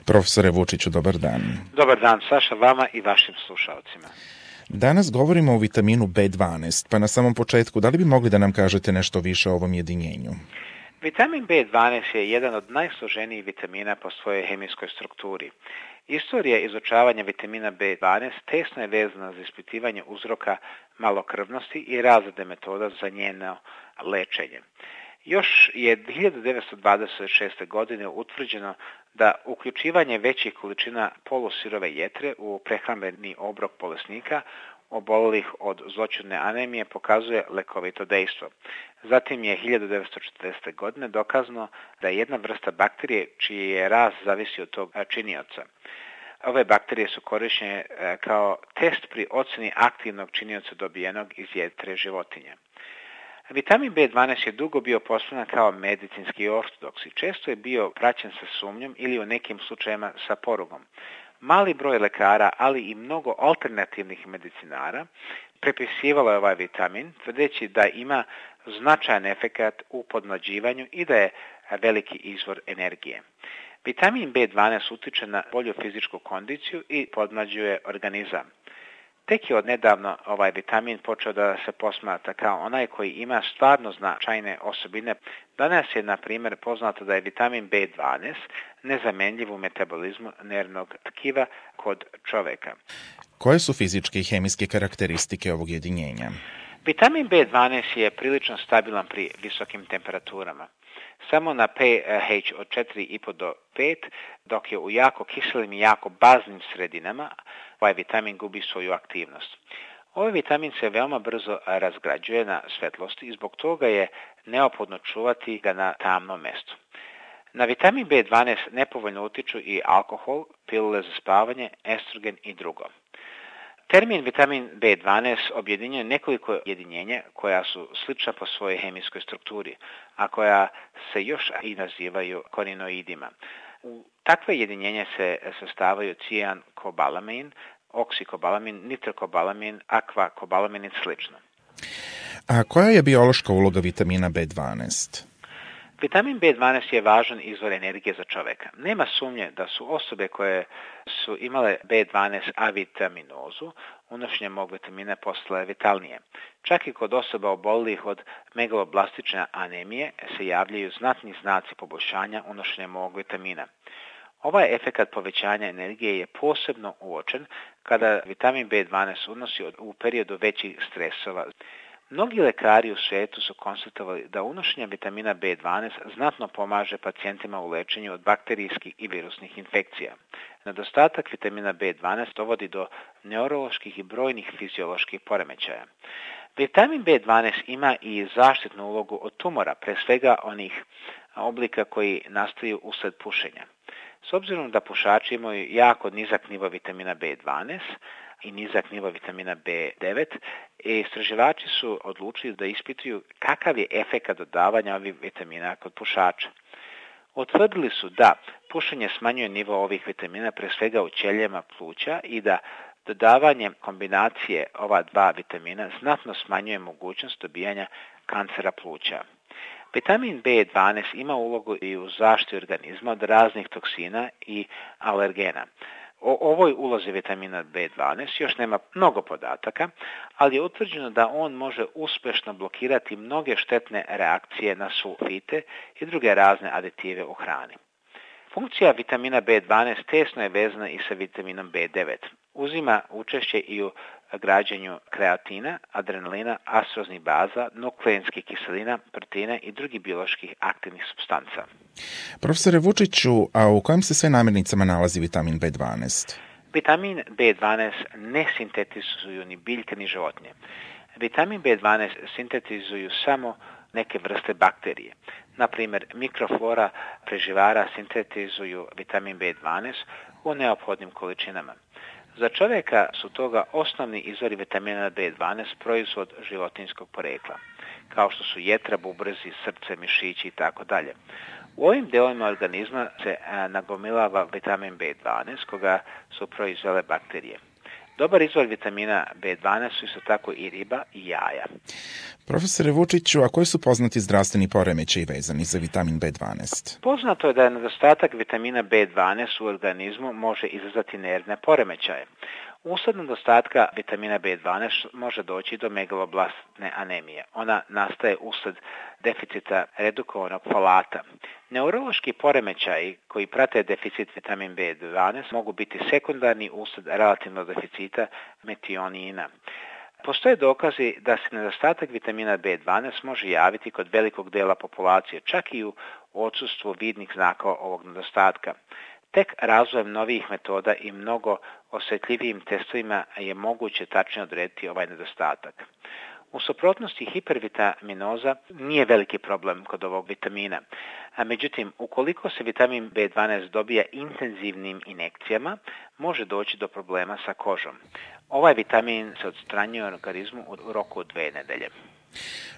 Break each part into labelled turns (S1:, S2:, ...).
S1: Profesore Vučiću, dobar dan.
S2: Dobar dan, Saša, vama i vašim slušalcima.
S1: Danas govorimo o vitaminu B12, pa na samom početku, da li bi mogli da nam kažete nešto više o ovom jedinjenju?
S2: Vitamin B12 je jedan od najsloženijih vitamina po svojoj hemijskoj strukturi. Istorija izučavanja vitamina B12 tesno je vezana za ispitivanje uzroka malokrvnosti i razrade metoda za njeno lečenje. Još je 1926. godine utvrđeno da uključivanje većih količina polusirove jetre u prehrambeni obrok bolesnika obolelih od zloćudne anemije pokazuje lekovito dejstvo. Zatim je 1940. godine dokazano da je jedna vrsta bakterije čiji je rast zavisi od tog činioca. Ove bakterije su korišćene kao test pri ocjeni aktivnog činioca dobijenog iz jetre životinje. Vitamin B12 je dugo bio postavljen kao medicinski ortodoks i često je bio praćen sa sumnjom ili u nekim slučajevima sa porugom. Mali broj lekara, ali i mnogo alternativnih medicinara prepisivalo je ovaj vitamin, tvrdeći da ima značajan efekat u podmlađivanju i da je veliki izvor energije. Vitamin B12 utiče na bolju fizičku kondiciju i podmlađuje organizam. Tek je odnedavno ovaj vitamin počeo da se posmatra kao onaj koji ima stvarno značajne osobine. Danas je, na primjer, poznato da je vitamin B12 nezamenljiv u metabolizmu nervnog tkiva kod čoveka.
S1: Koje su fizičke i hemijske karakteristike ovog jedinjenja?
S2: Vitamin B12 je prilično stabilan pri visokim temperaturama. Samo na pH od 4,5 do 5, dok je u jako kiselim i jako baznim sredinama ovaj vitamin gubi svoju aktivnost. Ovaj vitamin se veoma brzo razgrađuje na svetlosti i zbog toga je neophodno čuvati ga na tamnom mestu. Na vitamin B12 nepovoljno utiču i alkohol, pilule za spavanje, estrogen i drugo. Termin vitamin B12 objedinjuje nekoliko jedinjenja koja su slična po svojoj hemijskoj strukturi, a koja se još i nazivaju korinoidima. U takve jedinjenja se sastavaju cijankobalamin, oksikobalamin, nitrokobalamin, akvakobalamin i slično.
S1: A koja je biološka uloga vitamina B12?
S2: Vitamin B12 je važan izvor energije za čoveka. Nema sumnje da su osobe koje su imale B12 avitaminozu unošenjem ovog vitamina postale vitalnije. Čak i kod osoba obolelih od megaloblastične anemije se javljaju znatni znaci poboljšanja unošenjem ovog vitamina. Ovaj efekat povećanja energije je posebno uočen kada vitamin B12 unosi u periodu većih stresova. Mnogi lekari u svijetu su konstatovali da unošenje vitamina B12 znatno pomaže pacijentima u lečenju od bakterijskih i virusnih infekcija. Nedostatak vitamina B12 dovodi do neuroloških i brojnih fizioloških poremećaja. Vitamin B12 ima i zaštitnu ulogu od tumora, pre svega onih oblika koji nastaju usled pušenja. S obzirom da pušači imaju jako nizak nivo vitamina B12 i nizak nivo vitamina B9, istraživači su odlučili da ispituju kakav je efekat dodavanja ovih vitamina kod pušača. Utvrdili su da pušenje smanjuje nivo ovih vitamina pre svega u ćelijama pluća i da dodavanje kombinacije ova dva vitamina znatno smanjuje mogućnost dobijanja kancera pluća. Vitamin B12 ima ulogu i u zaštiti organizma od raznih toksina i alergena. O ovoj ulozi vitamina B12 još nema mnogo podataka, ali je utvrđeno da on može uspješno blokirati mnoge štetne reakcije na sulfite i druge razne aditive u hrani. Funkcija vitamina B12 tesno je vezana i sa vitaminom B9. Uzima učešće i u građenju kreatina, adrenalina, astroznih baza, nukleinskih kiselina, proteina i drugih bioloških aktivnih supstanca.
S1: Profesore Vučiću, a u kojim se sve namirnicama nalazi vitamin B12?
S2: Vitamin B12 ne sintetizuju ni biljke ni životinje. Vitamin B12 sintetizuju samo neke vrste bakterije. Naprimjer, mikroflora preživara sintetizuju vitamin B12 u neophodnim količinama. Za čovjeka su toga osnovni izvori vitamina B12 proizvod životinjskog porekla, kao što su jetra, bubrezi, srce, mišići itd. U ovim delovima organizma se nagomilava vitamin B12 koga su proizvele bakterije. Dobar izvor vitamina B12 su isto tako i riba i jaja.
S1: Profesore Vučiću, a koji su poznati zdravstveni poremećaji vezani za vitamin B12?
S2: Poznato je da nedostatak vitamina B12 u organizmu može izazvati nervne poremećaje. Usled nedostatka vitamina B12 može doći do megaloblastne anemije. Ona nastaje usled deficita redukovanog folata. Neurološki poremećaji koji prate deficit vitamin B12 mogu biti sekundarni usled relativnog deficita metionina. Postoje dokazi da se nedostatak vitamina B12 može javiti kod velikog dela populacije, čak i u odsustvu vidnih znakova ovog nedostatka. Tek razvojem novih metoda i mnogo osjetljivijim testovima je moguće tačno odrediti ovaj nedostatak. U suprotnosti, hipervitaminoza nije veliki problem kod ovog vitamina. Međutim, ukoliko se vitamin B12 dobija intenzivnim injekcijama, može doći do problema sa kožom. Ovaj vitamin se odstranjuje u organizmu u roku od 2 nedelje.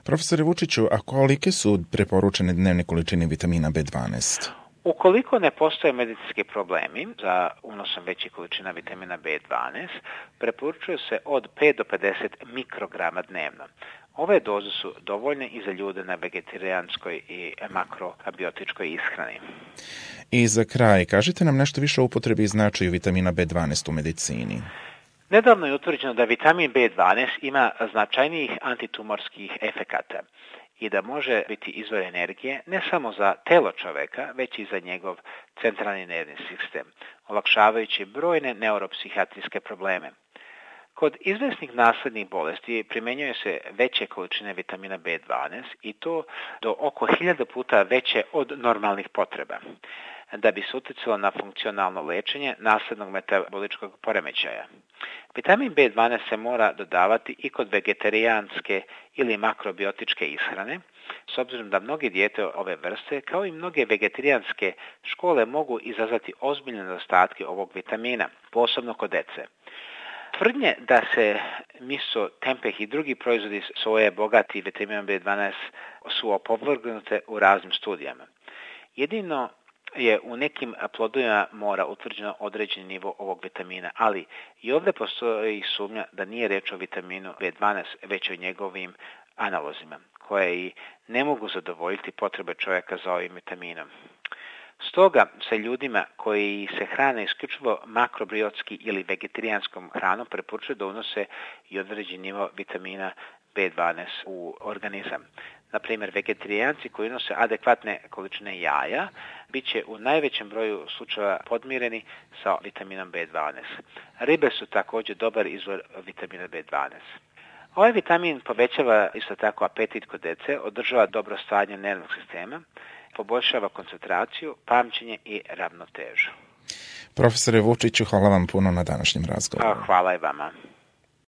S1: Profesore Vučiću, a kolike su preporučene dnevne količine vitamina B12?
S2: Ukoliko ne postoje medicinski problemi za unosom većih količina vitamina B12, preporučuje se od 5 do 50 mikrograma dnevno. Ove doze su dovoljne i za ljude na vegetarijanskoj i makrobiotičkoj ishrani.
S1: I za kraj, kažite nam nešto više o upotrebi i značaju vitamina B12 u medicini.
S2: Nedavno je utvrđeno da vitamin B12 ima značajnijih antitumorskih efekata i da može biti izvor energije ne samo za telo čoveka, već i za njegov centralni nervni sistem, olakšavajući brojne neuropsihijatrijske probleme. Kod izvesnih naslednih bolesti primenjuje se veće količine vitamina B12 i to do oko 1000 puta veće od normalnih potreba, da bi se uticalo na funkcionalno lečenje naslednog metaboličkog poremećaja. Vitamin B12 se mora dodavati i kod vegetarijanske ili makrobiotičke ishrane, s obzirom da mnoge dijete ove vrste, kao i mnoge vegetarijanske škole, mogu izazvati ozbiljne nedostatke ovog vitamina, posebno kod dece. Tvrdnje da se miso, tempeh i drugi proizvodi soje bogati vitaminom B12 su opovrgnute u raznim studijama. Jedino je u nekim plodovima mora utvrđeno određeni nivo ovog vitamina, ali i ovdje postoji sumnja da nije reč o vitaminu B12, već o njegovim analozima, koje i ne mogu zadovoljiti potrebe čovjeka za ovim vitaminom. Stoga se ljudima koji se hrane isključivo makrobiotski ili vegetarijanskom hranom preporučuje da unose i određeni nivo vitamina B12 u organizam. Naprimjer, vegetarijanci koji unose adekvatne količine jaja bit će u najvećem broju slučajeva podmireni sa vitaminom B12. Ribe su također dobar izvor vitamina B12. Ovaj vitamin povećava isto tako apetit kod dece, održava dobro stanje nervnog sistema, poboljšava koncentraciju, pamćenje i ravnotežu.
S1: Profesore Vučiću, hvala vam puno na današnjem razgovoru.
S2: Hvala i vama.